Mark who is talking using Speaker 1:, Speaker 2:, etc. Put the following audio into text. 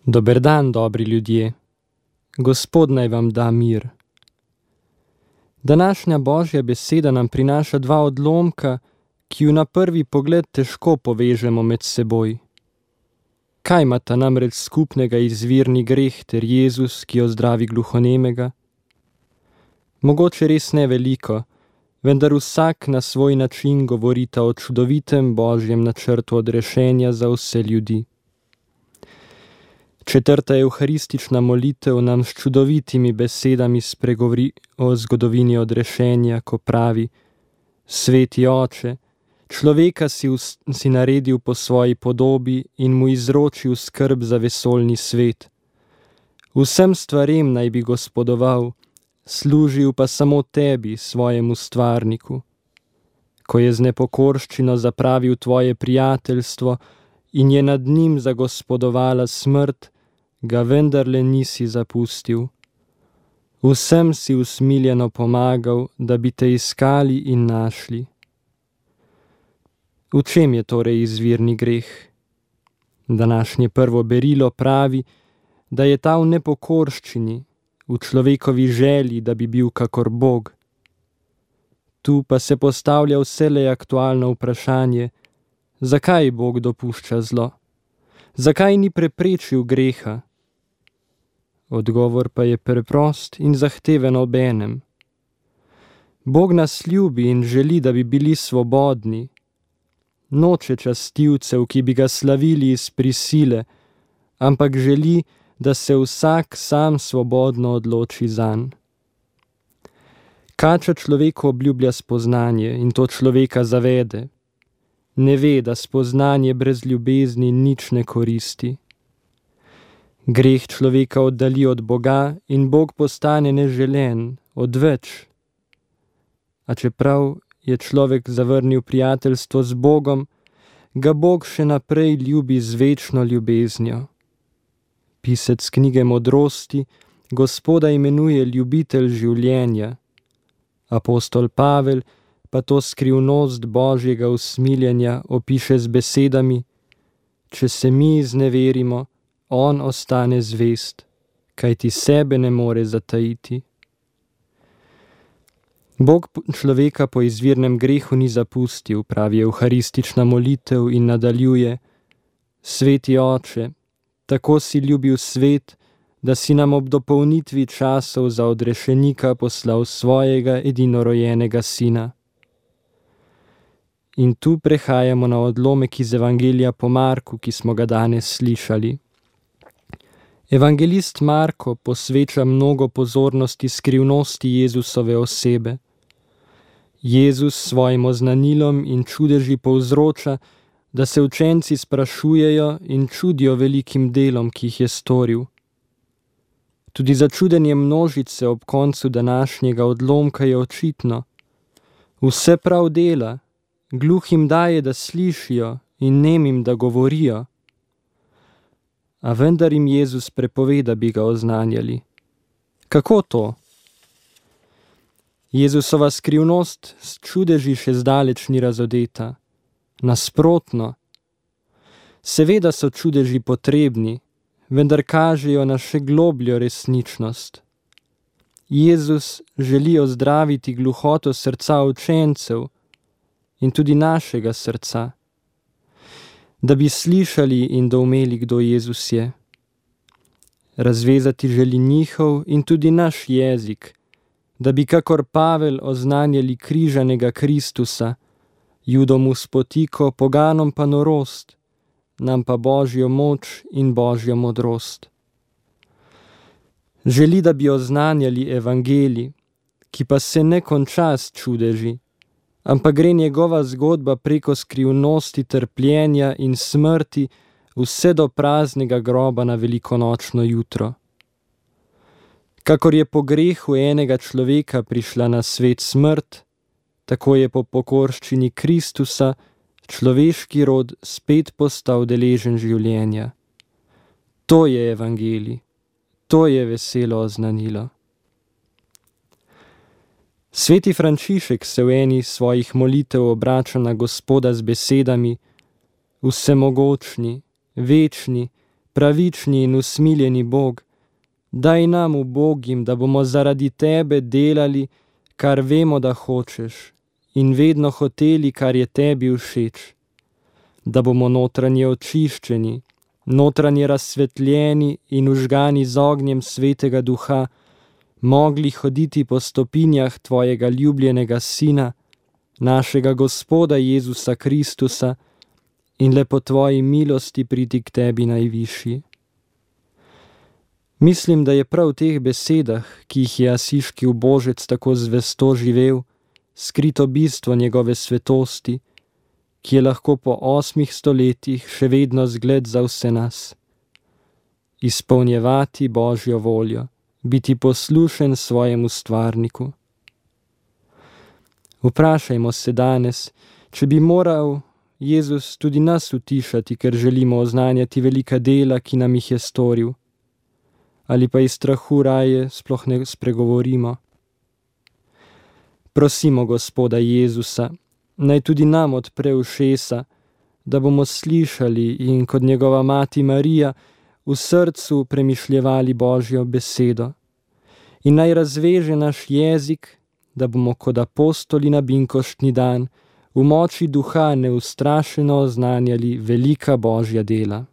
Speaker 1: Dober dan, dobri ljudje. Gospod naj vam da mir. Današnja Božja beseda nam prinaša dva odlomka, ki ju na prvi pogled težko povežemo med seboj. Kaj imata namreč skupnega izvirni greh ter Jezus, ki ozdravi gluhonemega? Mogoče res ne veliko, vendar vsak na svoj način govorita o čudovitem Božjem načrtu odrešenja za vse ljudi. Četrta evharistična molitev nam s čudovitimi besedami spregovori o zgodovini odrešenja, ko pravi: Sveti Oče, človeka si naredil po svoji podobi in mu izročil skrb za vesoljni svet. Vsem stvarem naj bi gospodoval, služil pa samo tebi, svojemu stvarniku. Ko je z nepokorščino zapravil tvoje prijateljstvo in je nad njim zagospodovala smrt, ga vendarle nisi zapustil. Vsem si usmiljeno pomagal, da bi te iskali in našli. V čem je torej izvirni greh? Današnje prvo berilo pravi, da je ta v nepokorščini, v človekovi želji, da bi bil kakor Bog. Tu pa se postavlja vselej aktualno vprašanje, zakaj Bog dopušča zlo? Zakaj ni preprečil greha? Odgovor pa je preprost in zahteven obenem. Bog nas ljubi in želi, da bi bili svobodni. Noče častilcev, ki bi ga slavili iz prisile, ampak želi, da se vsak sam svobodno odloči zanj. Kača človeku obljublja spoznanje in to človeka zavede. Ne ve, da spoznanje brez ljubezni nič ne koristi. Greh človeka oddali od Boga in Bog postane neželen, odveč. A čeprav je človek zavrnil prijateljstvo z Bogom, ga Bog še naprej ljubi z večno ljubeznjo. Pisec knjige Modrosti Gospoda imenuje ljubitelj življenja. Apostol Pavel pa to skrivnost Božjega usmiljenja opiše z besedami: Če se mi izneverimo, on ostane zvest, kajti sebe ne more zatajiti. Bog človeka po izvirnem grehu ni zapustil, pravi evharistična molitev in nadaljuje: Sveti Oče, tako si ljubil svet, da si nam ob dopolnitvi časov za odrešenika poslal svojega edinorojenega sina. In tu prehajamo na odlomek iz Evangelija po Marku, ki smo ga danes slišali. Evangelist Marko posveča mnogo pozornosti skrivnosti Jezusove osebe. Jezus svojim oznanilom in čudeži povzroča, da se učenci sprašujejo in čudijo velikim delom, ki jih je storil. Tudi začudenje množice ob koncu današnjega odlomka je očitno. Vse prav dela, gluhim daje, da slišijo, in nemim, da govorijo. A vendar jim Jezus prepove, da bi ga oznanjali. Kako to? Jezusova skrivnost s čudeži še zdaleč ni razodeta. Nasprotno. Seveda so čudeži potrebni, vendar kažejo na še globljo resničnost. Jezus želi ozdraviti gluhoto srca učencev in tudi našega srca, da bi slišali in doumeli, kdo Jezus je. Razvezati želi njihov in tudi naš jezik, da bi kakor Pavel oznanjali križanega Kristusa, Judom v spotiko, poganom pa norost, nam pa Božjo moč in Božjo modrost. Želi, da bi oznanjali evangelij, ki pa se ne konča s čudeži, ampak gre njegova zgodba preko skrivnosti trpljenja in smrti vse do praznega groba na velikonočno jutro. Kakor je po grehu enega človeka prišla na svet smrt, tako je po pokorščini Kristusa človeški rod spet postal deležen življenja. To je evangelij, to je veselo oznanilo. Sveti Frančišek se v eni svojih molitev obrača na Gospoda z besedami: Vsemogočni, večni, pravični in usmiljeni Bog, daj nam ubogim, da bomo zaradi tebe delali, kar vemo, da hočeš, in vedno hoteli, kar je tebi všeč, da bomo notranje očiščeni, notranje razsvetljeni in užgani z ognjem Svetega Duha, mogli hoditi po stopinjah tvojega ljubljenega Sina, našega Gospoda Jezusa Kristusa, in le po tvoji milosti priti k tebi najvišji. Mislim, da je prav v teh besedah, ki jih je asiški ubožec tako zvesto živel, skrito bistvo njegove svetosti, ki je lahko po 8 stoletjih še vedno zgled za vse nas. Izpolnjevati Božjo voljo, biti poslušen svojemu stvarniku. Vprašajmo se danes, če bi moral Jezus tudi nas utišati, ker želimo oznanjati velika dela, ki nam jih je storil, ali pa iz strahu raje sploh ne spregovorimo. Prosimo Gospoda Jezusa, naj tudi nam odpre ušesa, da bomo slišali in kot njegova mati Marija v srcu premišljevali Božjo besedo. In naj razveže naš jezik, da bomo kot apostoli na binkoštni dan v moči duha neustrašeno oznanjali velika Božja dela.